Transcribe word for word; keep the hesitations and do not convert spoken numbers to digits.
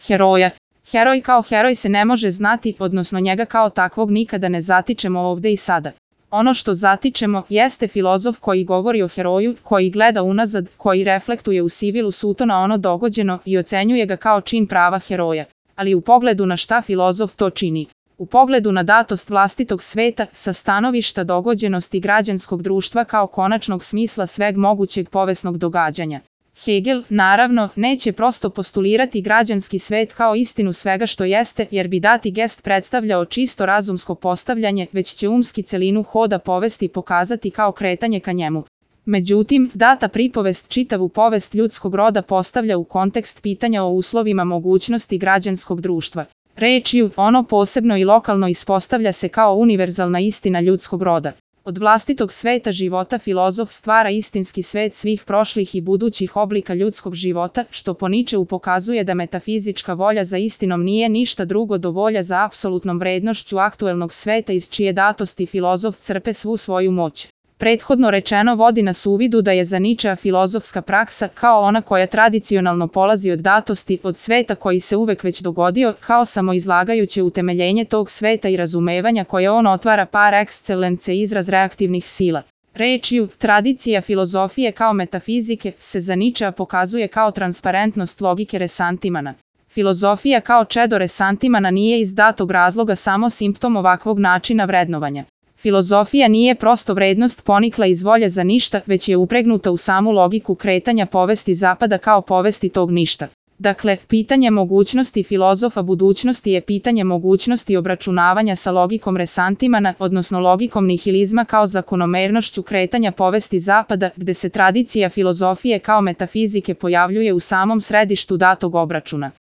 Heroja. Heroj kao heroj se ne može znati, odnosno njega kao takvog nikada ne zatičemo ovde i sada. Ono što zatičemo jeste filozof koji govori o heroju, koji gleda unazad, koji reflektuje u sivilu suto na ono dogođeno i ocenjuje ga kao čin prava heroja. Ali u pogledu na šta filozof to čini? U pogledu na datost vlastitog sveta, sa stanovišta dogođenosti građanskog društva kao konačnog smisla sveg mogućeg povesnog događanja. Hegel, naravno, neće prosto postulirati građanski svet kao istinu svega što jeste, jer bi dati gest predstavljao čisto razumsko postavljanje, već će umski celinu hoda povesti pokazati kao kretanje ka njemu. Međutim, data pripovest čitavu povest ljudskog roda postavlja u kontekst pitanja o uslovima mogućnosti građanskog društva. Rečju, ono posebno i lokalno ispostavlja se kao univerzalna istina ljudskog roda. Od vlastitog sveta života filozof stvara istinski svet svih prošlih i budućih oblika ljudskog života, što po Ničeu pokazuje da metafizička volja za istinom nije ništa drugo do volja za apsolutnom vrednošću aktuelnog sveta iz čije datosti filozof crpe svu svoju moć. Prethodno rečeno vodi nas u vidu da je za Ničea filozofska praksa kao ona koja tradicionalno polazi od datosti, od sveta koji se uvek već dogodio, kao samoizlagajuće utemeljenje tog sveta i razumevanja koje on otvara par excellence izraz reaktivnih sila. Rečju, tradicija filozofije kao metafizike se za Ničea pokazuje kao transparentnost logike resantimana. Filozofija kao čedo resantimana nije iz datog razloga samo simptom ovakvog načina vrednovanja. Filozofija nije prosto vrednost ponikla iz volje za ništa, već je upregnuta u samu logiku kretanja povesti zapada kao povesti tog ništa. Dakle, pitanje mogućnosti filozofa budućnosti je pitanje mogućnosti obračunavanja sa logikom resantimana, odnosno logikom nihilizma kao zakonomernošću kretanja povesti zapada, gde se tradicija filozofije kao metafizike pojavljuje u samom središtu datog obračuna.